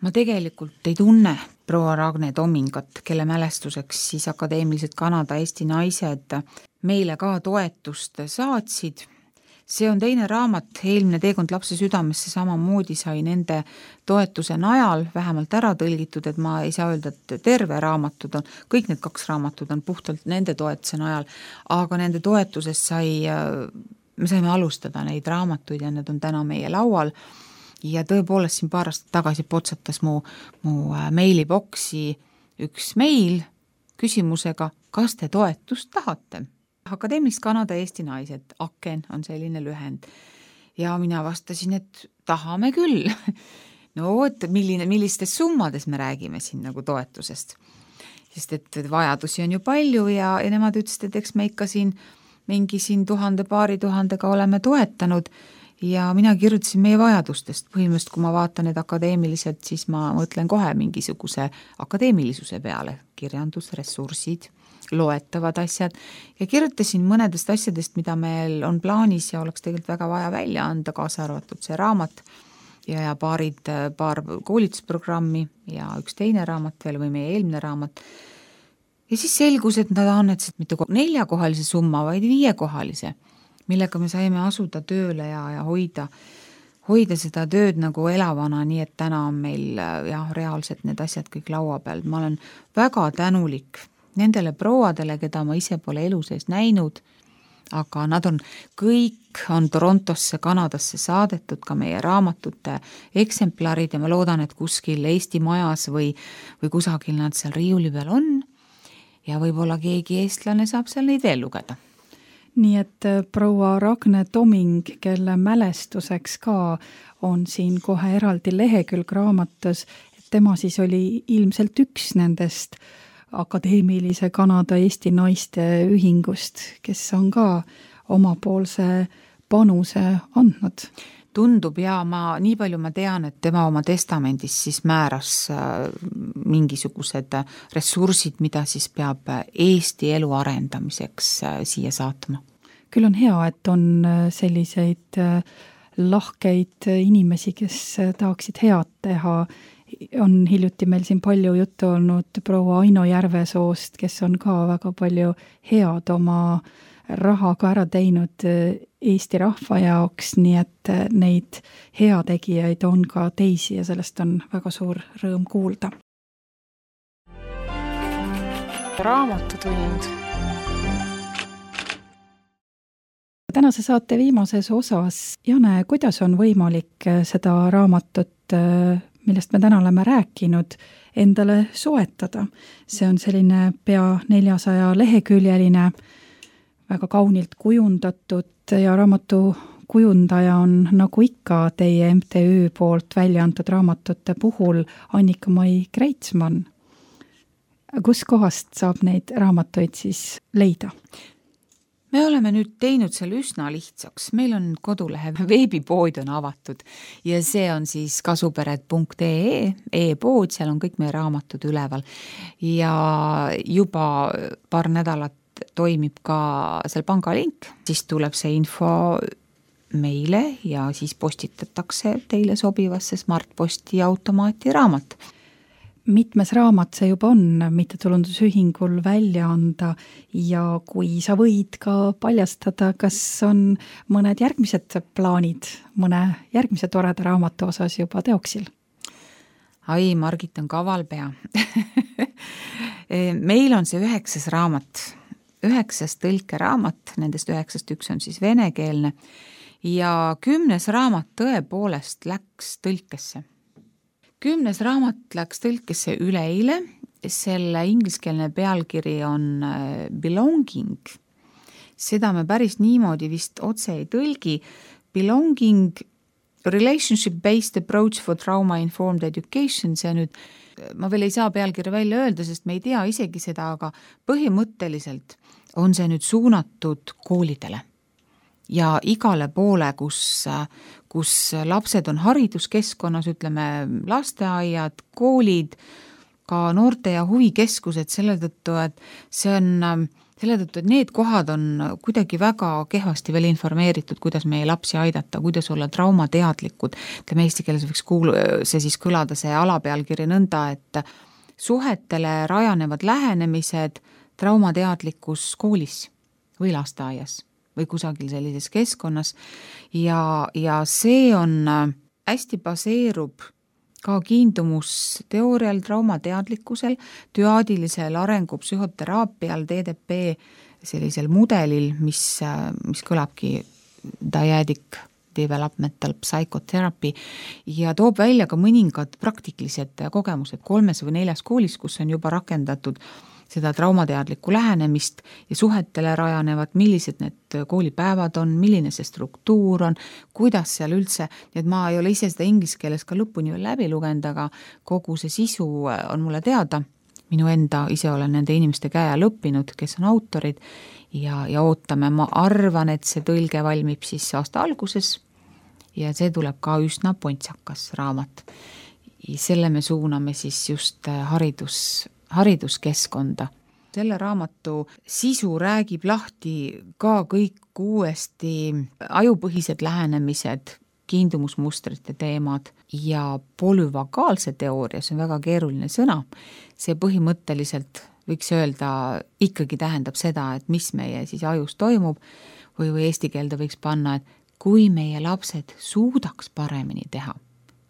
Ma tegelikult ei tunne proua Ragne Tomingat, kelle mälestuseks siis akadeemilised Kanada-Eesti naised meile ka toetust saatsid. See on teine raamat, eelmine teekond lapse südamesse samamoodi sai nende toetuse najal vähemalt ära tõlgitud, et ma ei saa öelda, et terve raamatud on, kõik need 2 raamatut on puhtalt nende toetuse najal, aga nende toetusest me saime alustada neid raamatuid ja need on täna meie laual. Ja tõepoolest siin paar aastat tagasi potsatas mu meiliboksi üks meil küsimusega, kas te toetust tahate? Akadeemilist Kanada-Eesti naised, AKEN on selline lühend. Ja mina vastasin, et tahame küll. No, et millistes summades me räägime siin nagu toetusest. Sest et vajadusi on ju palju ja nemad ütlesid, et eks me ikka siin mingi 1000-2000 oleme toetanud ja mina kirjutasin meie vajadustest. Põhimõtteliselt, kui ma vaatan need akadeemilised, siis ma mõtlen kohe mingisuguse akadeemilisuse peale. Kirjandus, ressursid, loetavad asjad ja kirjutasin mõnedest asjadest, mida meil on plaanis ja oleks tegelikult väga vaja välja anda, kaasa arvatud see raamat ja paar koolitusprogrammi ja üks teine raamat veel või meie eelmine raamat. Ja siis selgus, et nad annetasid mitte 4-kohalise summa, vaid 5-kohalise, millega me saime asuda tööle ja hoida seda tööd nagu elavana, nii et täna on meil reaalselt need asjad kõik laua peal. Ma olen väga tänulik nendele prouadele, keda ma ise pole elu sees näinud, aga nad kõik on Torontosse, Kanadasse saadetud, ka meie raamatute eksemplarid ja ma loodan, et kuskil Eesti majas või kusagil nad seal riiuli peal on ja võib-olla keegi eestlane saab seal neid veel lugeda. Nii et proua Ragne Toming, kelle mälestuseks ka on siin kohe eraldi lehekülg raamatus, et tema siis oli ilmselt üks nendest akadeemilise Kanada Eesti naiste ühingust, kes on ka omapoolse panuse andnud. Tundub ja nii palju ma tean, et tema oma testamendis siis määras mingisugused ressursid, mida siis peab Eesti elu arendamiseks siia saatma. Küll on hea, et on selliseid lahkeid inimesi, kes tahaksid head teha. On hiljuti meil siin palju juttu olnud proua Aino Järvesoost, kes on ka väga palju head oma rahaga ära teinud Eesti rahva jaoks, nii et neid heategijaid on ka teisi ja sellest on väga suur rõõm kuulda. Raamatutund. Tänase saate viimases osas, Jane, kuidas on võimalik seda raamatut, millest me täna oleme rääkinud, endale soetada? See on selline pea 400 leheküljeline, väga kaunilt kujundatud ja raamatu kujundaja on nagu ikka teie MTÜ poolt välja antud raamatute puhul Annika-Mai Kreitsmann. Kus kohast saab neid raamatuid siis leida? Me oleme nüüd teinud selle üsna lihtsaks. Meil on kodulehe veebipood on avatud ja see on siis kasupered.ee e-pood, seal on kõik meie raamatud üleval ja juba paar nädalat toimib ka seal pangalink, siis tuleb see info meile ja siis postitatakse teile sobivasse Smartposti automaati raamat. Mitmes raamat see juba on mittetulundusühingul välja anda ja kui sa võid ka paljastada, kas on mõned järgmised plaanid mõne järgmise toreda raamatu osas juba teoksil? Ai, Margit on kaval pea. Meil on see 9. raamat, 9 tõlkeraamat, nendest 9 üks on siis venekeelne ja 10. raamat tõepoolest läks tõlkesse. 10. raamat läks tõlkesse üleeile, selle ingliskeelne pealkiri on Belonging. Seda me päris niimoodi vist otse ei tõlgi. Belonging, Relationship-based approach for trauma-informed education, see nüüd, ma veel ei saa pealkirja välja öelda, sest me ei tea isegi seda, aga põhimõtteliselt on see nüüd suunatud koolidele. Ja igale poole, kus lapsed on hariduskeskkonnas, ütleme lasteaiad, koolid, ka noorte- ja huvikeskused selle tõttu, et need kohad on kuidagi väga kehvasti veel informeeritud, kuidas meie lapsi aidata, kuidas olla traumateadlikud. Ütleme eesti keeles võiks see siis kõlada see alapealkiri nõnda, et suhetele rajanevad lähenemised traumateadlikus koolis või lasteaias või kusagil sellises keskkonnas ja see on hästi baseerub ka kiindumusteoorial, traumateadlikkusel, düaadilisel arengupsühoteraapial, DDP sellisel mudelil, mis kõlabki dyadic developmental psychotherapy ja toob välja ka mõningad praktilised kogemused 3 või 4 koolis, kus on juba rakendatud seda traumateadlikku lähenemist ja suhetele rajanevad, millised need koolipäevad on, milline see struktuur on, kuidas seal üldse, et ma ei ole ise seda inglise keeles ka lõpuni veel läbi lugenud, aga kogu see sisu on mulle teada. Minu enda ise olen nende inimeste käe all õppinud, kes on autorid ja ootame, ma arvan, et see tõlge valmib siis aasta alguses ja see tuleb ka üsna pontsakas raamat. Selle me suuname siis just hariduskeskkonda. Selle raamatu sisu räägib lahti ka kõik uuesti ajupõhised lähenemised, kiindumusmustrite teemad ja polüvagaalse teooria, see on väga keeruline sõna. See põhimõtteliselt võiks öelda, ikkagi tähendab seda, et mis meie siis ajus toimub või eesti keelde võiks panna, et kui meie lapsed suudaks paremini teha,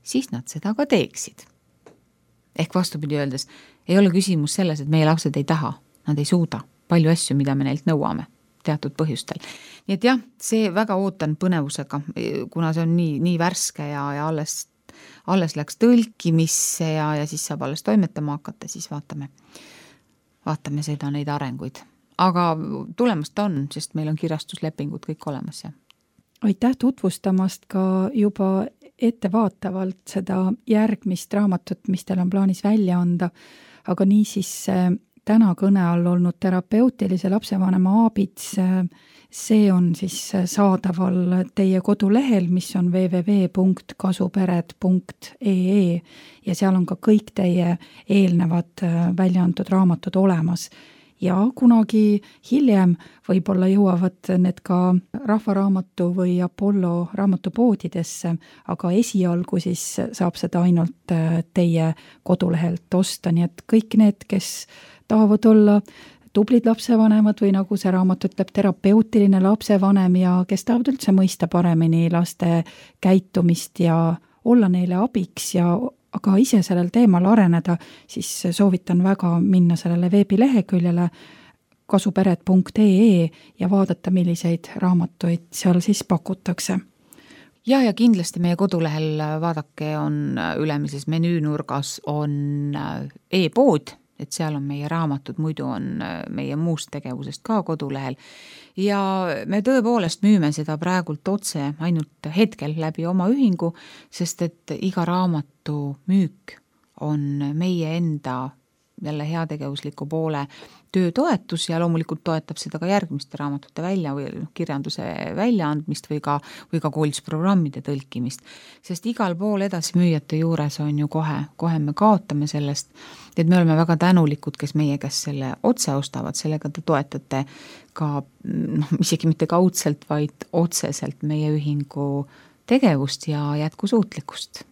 siis nad seda ka teeksid. Ehk vastupidi öeldes, ei ole küsimus selles, et meie lapsed ei taha, nad ei suuda palju asju, mida me neilt nõuame teatud põhjustel. Nii et jah, see väga ootan põnevusega, kuna see on nii värske ja alles läks tõlkimisse ja siis saab alles toimetama hakata, siis vaatame seda neid arenguid. Aga tulemast on, sest meil on kirjastuslepingud kõik olemas. Ja. Aitäh tutvustamast ka juba ettevaatavalt seda järgmist raamatut, mis teil on plaanis välja anda, aga niisiis täna kõne all olnud terapeutilise lapsevanema aabits, see on siis saadaval teie kodulehel, mis on www.kasupered.ee ja seal on ka kõik teie eelnevad välja antud raamatud olemas. Ja kunagi hiljem võib-olla jõuavad need ka Rahvaraamatu või Apollo raamatupoodidesse, aga esialgu siis saab seda ainult teie kodulehelt osta, nii et kõik need, kes tahavad olla tublid lapsevanemad või nagu see raamat ütleb, terapeutiline lapsevanem ja kes tahavad üldse mõista paremini laste käitumist ja olla neile abiks ja aga ise sellel teemal areneda, siis soovitan väga minna sellele veebileheküljele kasupered.ee ja vaadata, milliseid raamatuid seal siis pakutakse. Ja kindlasti meie kodulehel vaadake on ülemises menüünurgas on e-pood, et seal on meie raamatud, muidu on meie muust tegevusest ka kodulehel. Ja me tõepoolest müüme seda praegult otse ainult hetkel läbi oma ühingu, sest et iga raamatu müük on meie enda jälle heategevusliku poole töötoetus ja loomulikult toetab seda ka järgmiste raamatute välja või kirjanduse väljaandmist või ka koolitusprogrammide tõlkimist. Sest igal pool edasimüüjate juures on ju kohe me kaotame sellest, et me oleme väga tänulikud, kes meie käest selle otse ostavad, sellega te toetate ka isegi mitte kaudselt, vaid otseselt meie ühingu tegevust ja jätkusuutlikkust.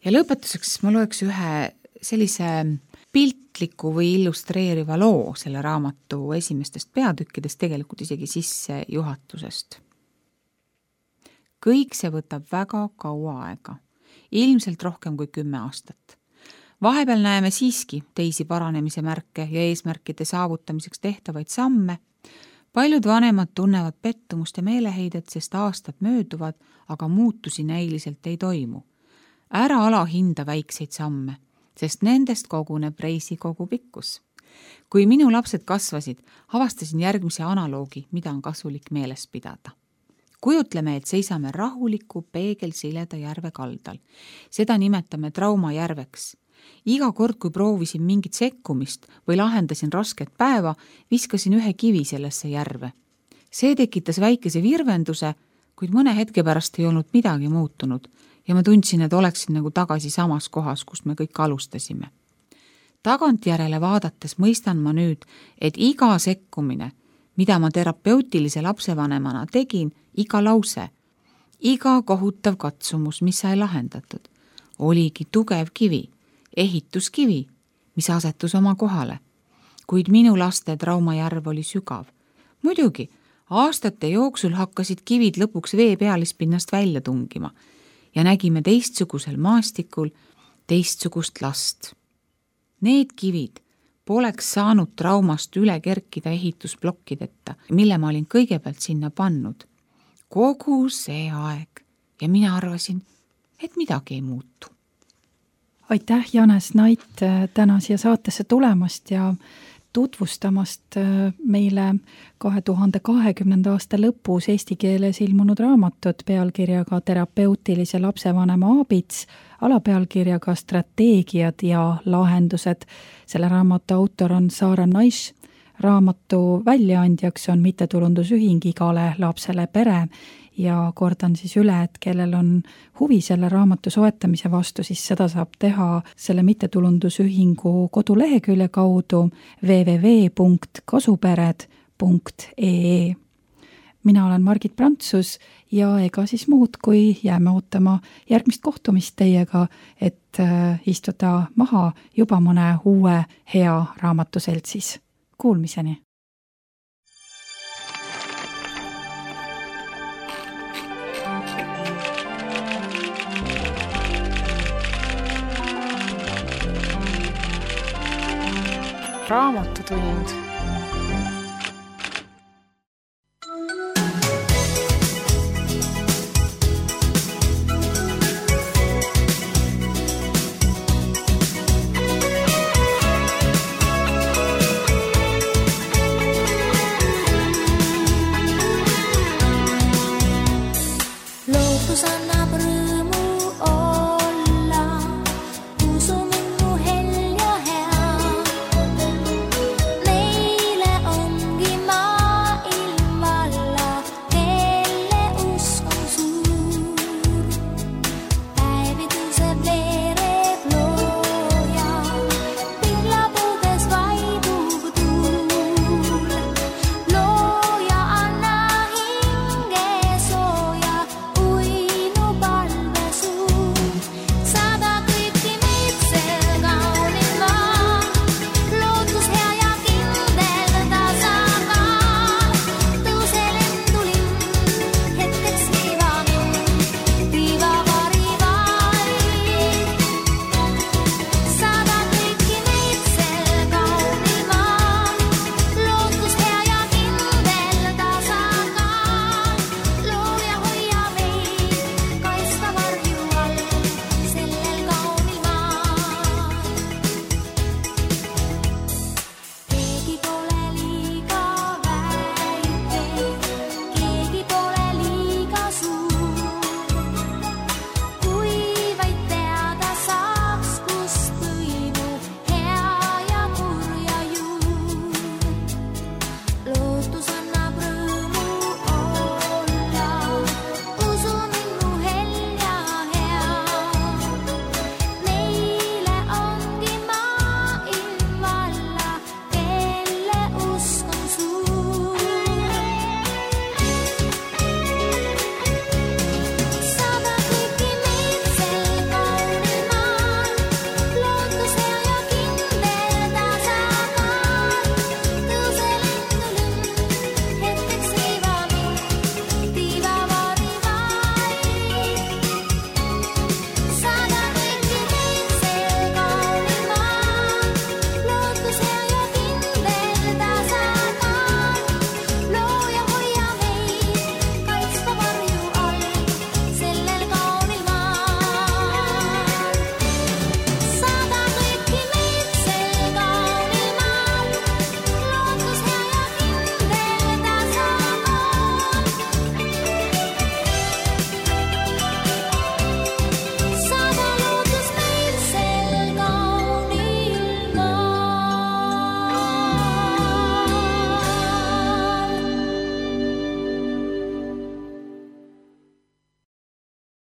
Ja lõpetuseks ma loeks ühe sellise piltliku või illustreeriva loo selle raamatu esimestest peatükkidest, tegelikult isegi sissejuhatusest. Kõik see võtab väga kaua aega, ilmselt rohkem kui 10 aastat. Vahepeal näeme siiski teisi paranemise märke ja eesmärkide saavutamiseks tehtavaid samme. Paljud vanemad tunnevad pettumust ja meeleheidet, sest aastad mööduvad, aga muutusi näiliselt ei toimu. Ära alahinda väikseid samme, sest nendest koguneb reisi kogu pikkus. Kui minu lapsed kasvasid, avastasin järgmise analoogi, mida on kasulik meeles pidada. Kujutleme, et seisame rahuliku peegelsileda järve kaldal. Seda nimetame traumajärveks. Iga kord, kui proovisin mingit sekkumist või lahendasin rasket päeva, viskasin ühe kivi sellesse järve. See tekitas väikese virvenduse, kuid mõne hetke pärast ei olnud midagi muutunud ja ma tundsin, et oleksin nagu tagasi samas kohas, kus me kõik alustasime. Tagantjärele vaadates mõistan ma nüüd, et iga sekkumine, mida ma terapeutilise lapsevanemana tegin, iga lause, iga kohutav katsumus, mis sai lahendatud, oligi tugev kivi, ehituskivi, mis asetus oma kohale. Kuid minu laste traumajärv oli sügav. Muidugi, aastate jooksul hakkasid kivid lõpuks vee pealispinnast välja tungima ja nägime teistsugusel maastikul teistsugust last. Need kivid poleks saanud traumast üle kerkida ehitusplokkideta, mille ma olin kõigepealt sinna pannud. Kogu see aeg ja mina arvasin, et midagi ei muutu. Aitäh, Janes Nait, täna siia saatesse tulemast ja tutvustamast meile 2020. aasta lõpus eesti keeles ilmunud raamatut pealkirjaga Terapeutilise lapsevanema aabits, alapealkirjaga Strateegiad ja lahendused. Selle raamatu autor on Saara Naiš, raamatu väljaandjaks on mittetulundusühing Igale lapsele pere ja kordan siis üle, et kellel on huvi selle raamatu soetamise vastu, siis seda saab teha selle mittetulundusühingu kodulehekülje kaudu www.kasupered.ee. mina olen Margit Prantsus ja ega siis muud, kui jääme ootama järgmist kohtumist teiega, et istuda maha juba mõne uue hea raamatuseltsis. Kuulmiseni! Raamatutund